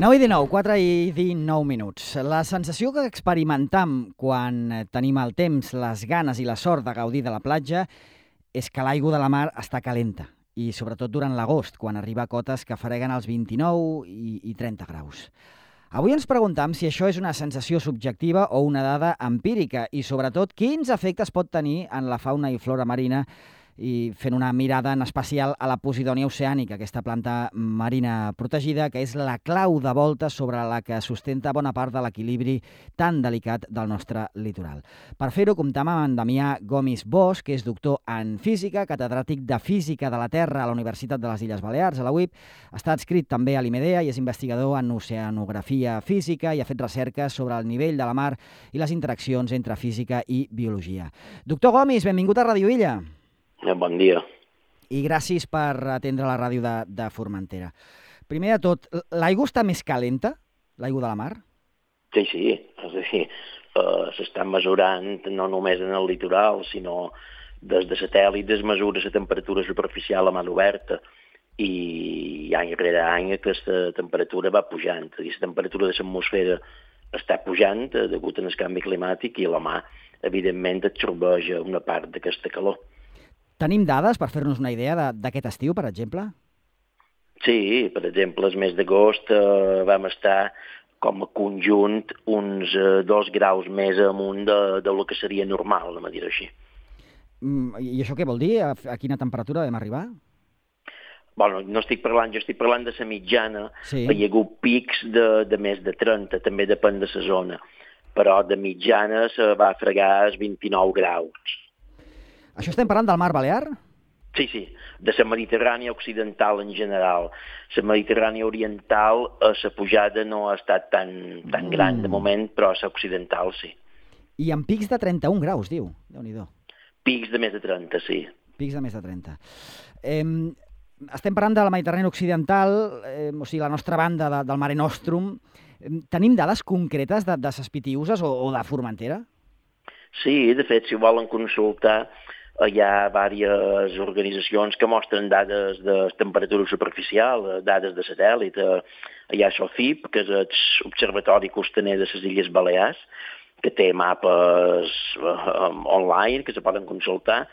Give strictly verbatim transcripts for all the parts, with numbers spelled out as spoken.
nou i dinou, quatre i dinou minuts. La sensació que experimentam quan tenim el temps, les ganes i la sort de gaudir de la platja és que l'aigua de la mar està calenta, i sobretot durant l'agost, quan arriba a cotes que freguen els vint-i-nou i, i trenta graus. Avui ens preguntam si això és una sensació subjectiva o una dada empírica i, sobretot, quins efectes pot tenir en la fauna i flora marina, i fent una mirada en especial a la Posidònia oceànica, aquesta planta marina protegida, que és la clau de volta sobre la que sustenta bona part de l'equilibri tan delicat del nostre litoral. Per fer-ho, comptam amb en Damià Gomis Bosch, que és doctor en física, catedràtic de Física de la Terra a la Universitat de les Illes Balears, a la U I P. Està adscrit també a l'IMEDEA i és investigador en oceanografia física i ha fet recerques sobre el nivell de la mar i les interaccions entre física i biologia. Doctor Gomis, benvingut a Ràdio Illa. Bon dia. I gràcies per atendre la ràdio de, de Formentera. Primer de tot, l'aigua està més calenta, l'aigua de la mar? Sí, sí. És a dir, uh, s'està mesurant no només en el litoral, sinó des de satèl·lit es mesura la temperatura superficial a mar oberta i any rere any aquesta temperatura va pujant. És a dir, la temperatura de l'atmosfera està pujant degut al canvi climàtic i la mar, evidentment, absorbeix una part d'aquesta calor. Tenim dades per fer-nos una idea d'aquest estiu, per exemple? Sí, per exemple, el mes d'agost eh, vam estar com a conjunt uns eh, dos graus més amunt de, de lo que seria normal, anem a dir així. Mm, I això què vol dir? A, a quina temperatura vam arribar? Bueno, no estic parlant, jo estic parlant de la mitjana. Sí. Hi ha hagut pics de, de més de trenta, també depèn de la zona, però de mitjana se va fregar els vint-i-nou graus. Això estem parlant del mar Balear? Sí, sí, de la Mediterrània occidental en general. La Mediterrània oriental, eh, la pujada no ha estat tan, tan mm. gran de moment, però la occidental sí. I amb pics de trenta-un graus, diu. Déu-n'hi-do. Pics de més de trenta, sí. Pics de més de trenta. Eh, estem parlant de la Mediterrània occidental, eh, o sigui, la nostra banda de, del Mare Nostrum. Eh, tenim dades concretes de, de ses Pitiüses o, o de Formentera? Sí, de fet, si ho volen consultar, hi ha diverses organitzacions que mostren dades de temperatura superficial, dades de satèl·lit. Hi ha SOFIP, que és l'Observatori Costaner de les Illes Balears, que té mapes online que se poden consultar.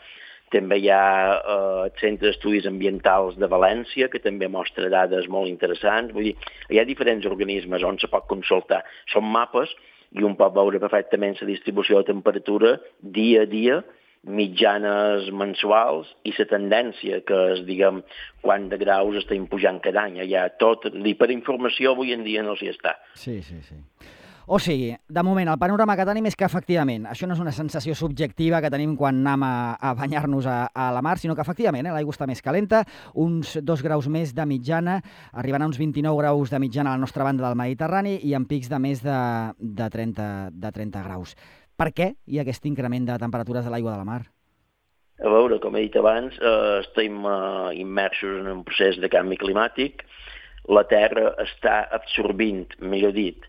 També hi ha eh, el Centre d'Estudis Ambientals de València, que també mostra dades molt interessants. Vull dir, hi ha diferents organismes on se pot consultar. Són mapes i un pot veure perfectament la distribució de temperatura dia a dia, mitjanes mensuals i la tendència, que és, diguem, quant de graus estem pujant cada any. Hi ha tot, l'hiperinformació avui en dia no s'hi està. Sí, sí, sí. O sigui, de moment, el panorama que tenim és que, efectivament, això no és una sensació subjectiva que tenim quan anem a, a banyar-nos a, a la mar, sinó que, efectivament, eh, l'aigua està més calenta, uns dos graus més de mitjana, arribant a uns vint-i-nou graus de mitjana a la nostra banda del Mediterrani i amb pics de més de, de, trenta, de trenta graus. Per què hi ha aquest increment de temperatures de l'aigua de la mar? A veure, com he dit abans, eh, estem eh, immersos en un procés de canvi climàtic. La Terra està absorbint, millor dit,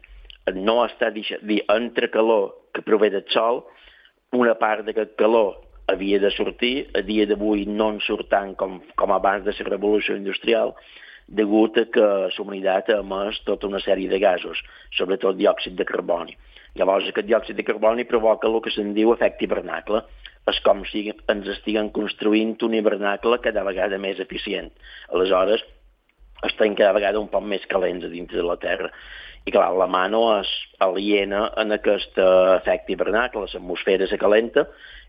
no està deixant, dir, entre calor que prové del sol, una part d'aquest calor havia de sortir, a dia d'avui no en surt tant com, com abans de la revolució industrial, degut a que la humanitat ha emès tota una sèrie de gasos, sobretot diòxid de carboni. Llavors, aquest diòxid de carboni provoca el que se'n diu efecte hivernacle. És com si ens estiguen construint un hivernacle cada vegada més eficient. Aleshores, estem cada vegada un poc més calents a dintre de la Terra. I clar, la mà no és aliena en aquest efecte hivernacle, l'atmosfera se calenta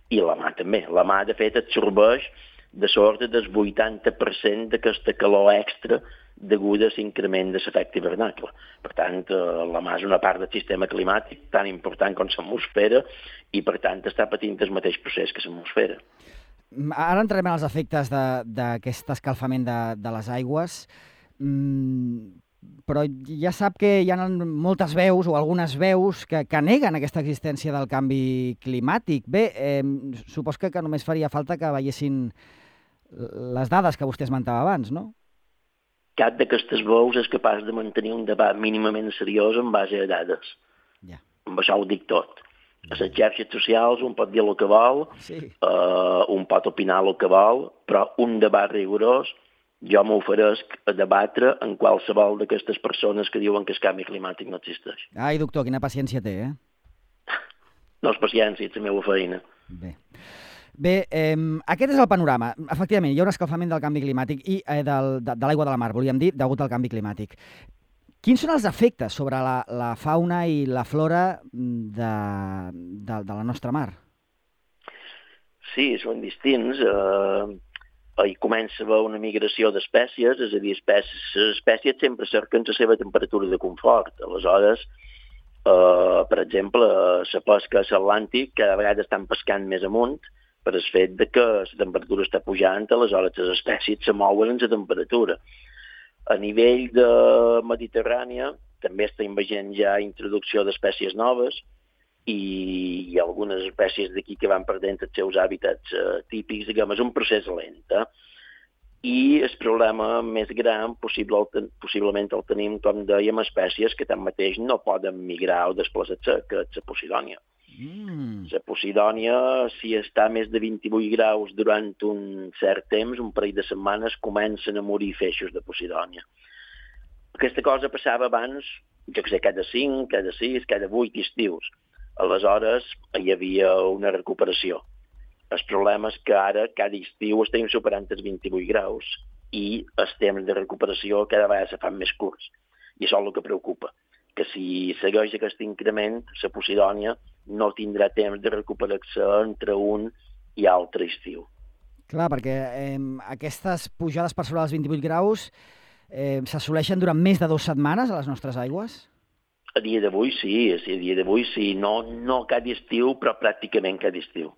i la mà també. La mà, de fet, absorbeix de sort del vuitanta per cent d'aquesta calor extra deguda a l'increment de l'efecte hivernacle. Per tant, la mà és una part del sistema climàtic tan important com l'atmosfera i, per tant, està patint el mateix procés que l'atmosfera. Ara entrarem en els efectes d'aquest escalfament de, de les aigües, mm, però ja sap que hi ha moltes veus o algunes veus que, que neguen aquesta existència del canvi climàtic. Bé, eh, supos que, que només faria falta que veiessin les dades que vostè esmentava abans, no? Cap d'aquestes veus és capaç de mantenir un debat mínimament seriós en base a dades. Ja. Amb això ho dic tot. A les xarxes socials un pot dir el que vol, sí. uh, un pot opinar el que vol, però un debat rigorós jo m'oferesc a debatre en qualsevol d'aquestes persones que diuen que el canvi climàtic no existeix. Ai, doctor, quina paciència té, eh? No és paciència, és la meva feina. Bé. Bé, eh, aquest és el panorama. Efectivament, hi ha un escalfament del canvi climàtic i eh, del, de, de l'aigua de la mar, volíem dir, degut al canvi climàtic. Quins són els efectes sobre la, la fauna i la flora de, de, de la nostra mar? Sí, són distints. Eh, hi comença a haver una migració d'espècies, és a dir, espècies, les espècies sempre cerquen la seva temperatura de confort. Aleshores, eh, per exemple, la pesca a l'Atlàntic cada vegada estan pescant més amunt per el fet de que la temperatura està pujant, aleshores les espècies se mouen en la temperatura. A nivell de Mediterrània també estem veient ja introducció d'espècies noves i hi ha algunes espècies d'aquí que van perdent els seus hàbitats eh, típics, diguem, és un procés lent. Eh? I el problema més gran possible, possiblement el tenim, com dèiem, espècies que tanmateix no poden migrar o desplaçar-se, que és la Posidònia. Mm. La Posidònia, si està a més de vint-i-vuit graus durant un cert temps, un parell de setmanes, comencen a morir feixos de Posidònia. Aquesta cosa passava abans, jo que sé, cada cinc, cada sis, cada vuit estius. Aleshores, hi havia una recuperació. El problema és que ara, cada estiu, estem superant els vint-i-vuit graus i els temps de recuperació cada vegada se fan més curts. I això és el que preocupa, que si segueix aquest increment, la Posidònia no tindrà temps de recuperar-se entre un i altre estiu. Clar, perquè eh, aquestes pujades per sobre dels vint-i-vuit graus eh, s'assoleixen durant més de dues setmanes a les nostres aigües? A dia d'avui sí, a dia d'avui sí, no, no cada estiu, però pràcticament cada estiu.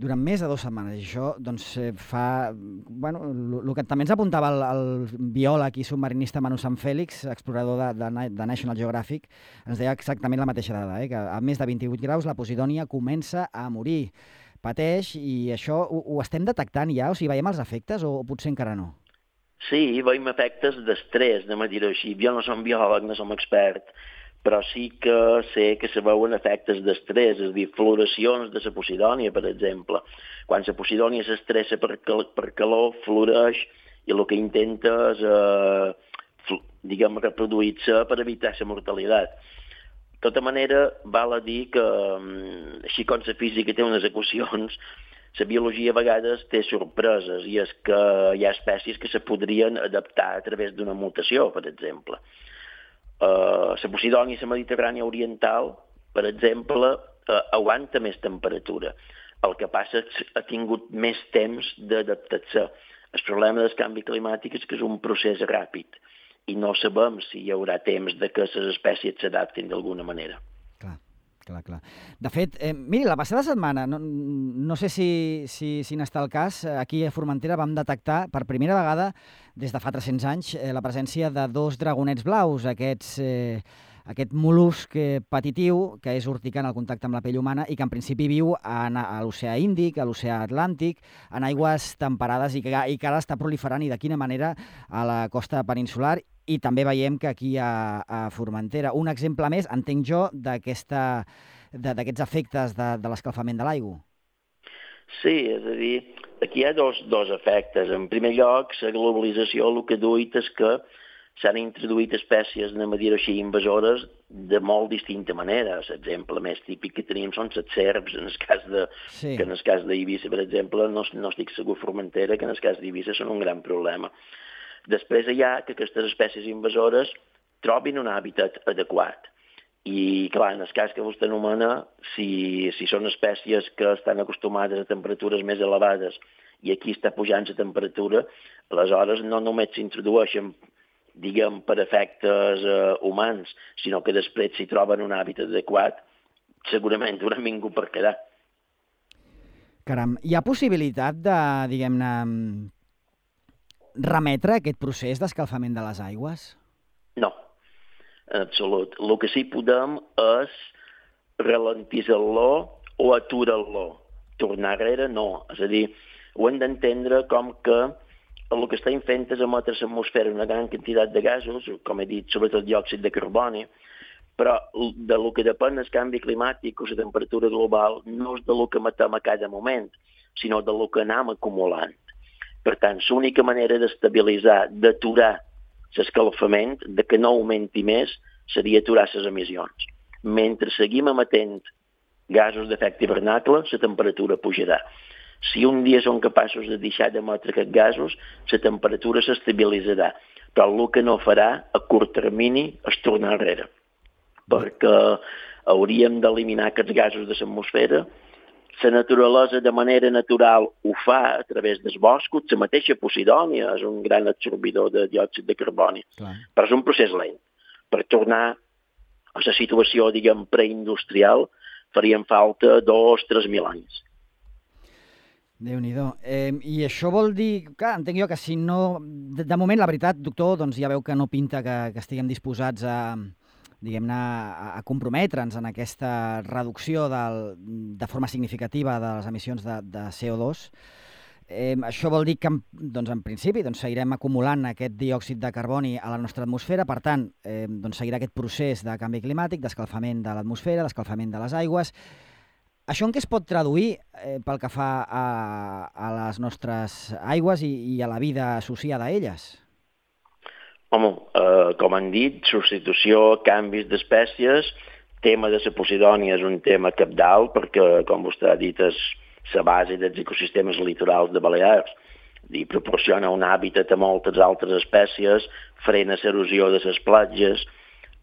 Durant més de dues setmanes. I això doncs, fa... Bueno, el que també ens apuntava el, el biòleg i submarinista Manu Sanfèlix, explorador de, de, de National Geographic, ens deia exactament la mateixa dada, eh? Que a més de vint-i-vuit graus la Posidònia comença a morir, pateix, i això ho, ho estem detectant ja? O sigui, veiem els efectes o potser encara no? Sí, veiem efectes d'estrès, anem a dir-ho així. Jo no som biòleg, no som expert, però sí que sé que se veuen efectes d'estrès, és a dir, floracions de la Posidònia, per exemple. Quan la Posidònia s'estressa per, cal per calor, floreix i el que intenta és, eh, diguem, reproduir-se per evitar la mortalitat. De tota manera, val a dir que, així com la física té unes equacions, la biologia a vegades té sorpreses i és que hi ha espècies que se podrien adaptar a través d'una mutació, per exemple. Uh, la Posidònia i la Mediterrània oriental, per exemple, uh, aguanta més temperatura. El que passa és que ha tingut més temps d'adaptar-se. El problema del canvi climàtic és que és un procés ràpid i no sabem si hi haurà temps de que les espècies s'adaptin d'alguna manera. Clar, clar, clar. De fet, eh, miri, la passada setmana, no, no sé si, si, si n'està el cas, aquí a Formentera vam detectar per primera vegada des de fa tres-cents anys eh, la presència de dos dragonets blaus, aquests, eh, aquest mol·lusc petitiu que és urticant al contacte amb la pell humana i que en principi viu en, a l'oceà Índic, a l'oceà Atlàntic, en aigües temperades i que, i que ara està proliferant i de quina manera a la costa peninsular i també veiem que aquí a, a Formentera. Un exemple més, entenc jo, d'aquesta, d'aquests efectes de, de l'escalfament de l'aigua. Sí, és a dir, aquí hi ha dos, dos efectes. En primer lloc, la globalització el que ha duit és que s'han introduït espècies, anem a dir així, invasores de molt distinta manera. L'exemple més típic que tenim són les serps, en el cas de, sí. que en el cas d'Eivissa, per exemple, no, no estic segur Formentera, que en el cas d'Eivissa són un gran problema. Després hi ha que aquestes espècies invasores trobin un hàbitat adequat. I, clar, en el cas que vostè anomena, si, si són espècies que estan acostumades a temperatures més elevades i aquí està pujant la temperatura, aleshores no només s'introdueixen, diguem, per efectes eh, humans, sinó que després si troben un hàbitat adequat, segurament hauran vingut per quedar. Caram, hi ha possibilitat de, diguem-ne, remetre aquest procés d'escalfament de les aigües? No, en absolut. El que sí podem és ralentir-lo o aturar-lo. Tornar enrere, no. És a dir, ho hem d'entendre com que el que estem fent és emetre a l'atmosfera una gran quantitat de gasos, com he dit, sobretot diòxid de carboni, però de lo que depèn el canvi climàtic o la temperatura global no és de lo que emetem a cada moment, sinó de lo que anem acumulant. Per tant, l'única manera d'estabilitzar, d'aturar l'escalfament, de que no augmenti més, seria aturar les emissions. Mentre seguim emetent gasos d'efecte hivernacle, la temperatura pujarà. Si un dia són capaços de deixar d'emetre aquests gasos, la temperatura s'estabilitzarà. Però el que no farà a curt termini és tornar enrere. Perquè hauríem d'eliminar aquests gasos de l'atmosfera. La naturalesa de manera natural ho fa a través dels boscos. La mateixa Posidònia és un gran absorbidor de diòxid de carboni. Clar. Però és un procés lent. Per tornar a la situació, diguem, preindustrial, farien falta dos, tres mil anys. Déu-n'hi-do. Eh, I això vol dir... Clar, entenc jo que si no... De, de moment, la veritat, doctor, doncs ja veu que no pinta que, que estiguem disposats a, diguem-ne, a, a comprometre'ns en aquesta reducció del, de forma significativa de les emissions de, de C O dos. Eh, això vol dir que, doncs, en principi, doncs, seguirem acumulant aquest diòxid de carboni a la nostra atmosfera. Per tant, eh, doncs, seguirà aquest procés de canvi climàtic, d'escalfament de l'atmosfera, d'escalfament de les aigües. Això en què es pot traduir eh, pel que fa a, a les nostres aigües i, i a la vida associada a elles? Home, eh, com han dit, substitució, canvis d'espècies, tema de la Posidònia és un tema cabdal perquè, com vostè ha dit, és la base dels ecosistemes litorals de Balears i proporciona un hàbitat a moltes altres espècies, frena l'erosió de les platges,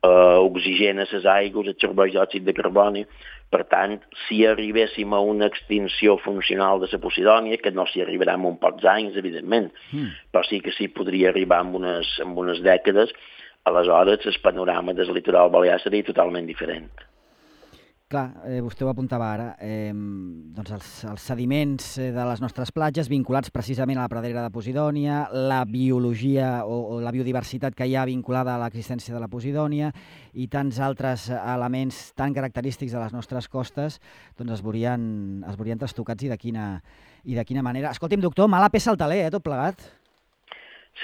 eh, oxigena les aigües, absorbeix diòxid de carboni. Per tant, si arribéssim a una extinció funcional de la Posidònia, que no s'hi arribarà en uns pocs anys, evidentment, mm. però sí que s'hi podria arribar en unes, en unes dècades, aleshores el panorama del litoral balear seria totalment diferent. Clar, eh, vostè ho apuntava ara, eh, doncs els, els sediments de les nostres platges vinculats precisament a la pradera de Posidònia, la biologia o, o la biodiversitat que hi ha vinculada a l'existència de la Posidònia i tants altres elements tan característics de les nostres costes, doncs es veurien, es veurien trastocats i de quina, i de quina manera. Escolti'm, doctor, mala peça al taler, eh, tot plegat?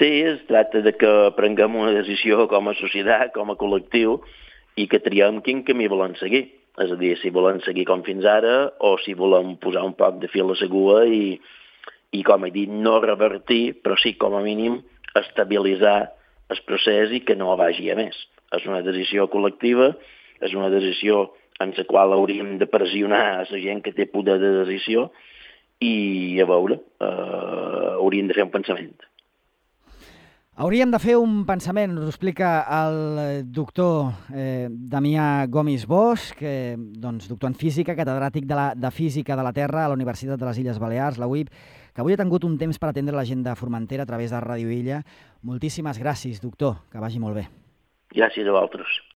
Sí, es tracta de que prenguem una decisió com a societat, com a col·lectiu, i que triem quin camí volem seguir. És a dir, si volem seguir com fins ara o si volem posar un poc de fil a l'aigua i, i, com he dit, no revertir, però sí, com a mínim, estabilitzar el procés i que no vagi a més. És una decisió col·lectiva, és una decisió en la qual hauríem de pressionar a la gent que té poder de decisió i, a veure, eh, hauríem de fer un pensament. Hauríem de fer un pensament, us ho explica el doctor eh, Damià Gomis Bosch, que, doncs, doctor en física, catedràtic de, la, de Física de la Terra a la Universitat de les Illes Balears, la U I B, que avui ha tingut un temps per atendre la gent de Formentera a través de Ràdio Illa. Moltíssimes gràcies, doctor, que vagi molt bé. Gràcies a vosaltres.